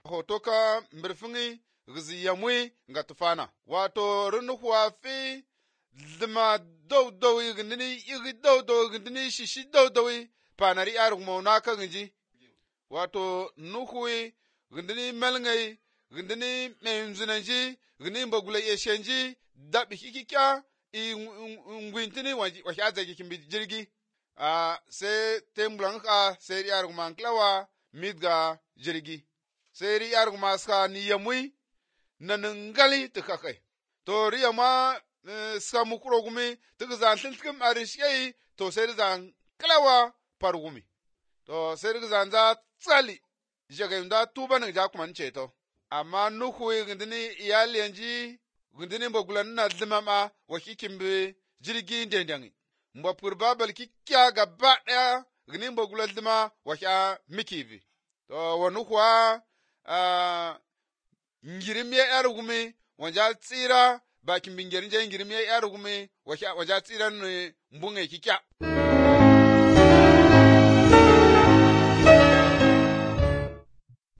hoto ka mbirfingi gizi yamwi nga tufana wato runuhuwa fi dhima dow gindini igi dow gindini shishi dow panari arugmo naka ginji wato nuhui gindini melngai gindini menzunanji gindini mbagula yeshenji dabi hikikya ngwintini wahi azagi kimbi jirgi sai tembulan ka sai ri arugma klawa midga jirgi sai ri arugma ska ni yamui nanangali tikakai to ri yama ska mukro gumi tigzan tiltkim arishei to sai zan klawa pargumi to sai ri zan za tsali jagayunda tuba nang jakuman cheto amma nuhu gindini iyaliyanji gindini mbagulan na dhimama wakikimbi jirgi ndendangi mbapur babal kikya gaba daya gindini mbagulan dhima wakya mikivi to wanuhwa ngirimye yarugumi wanja tsira bakin bingerin je ngirimye yarugumi wakya waja tsira mbunge kikya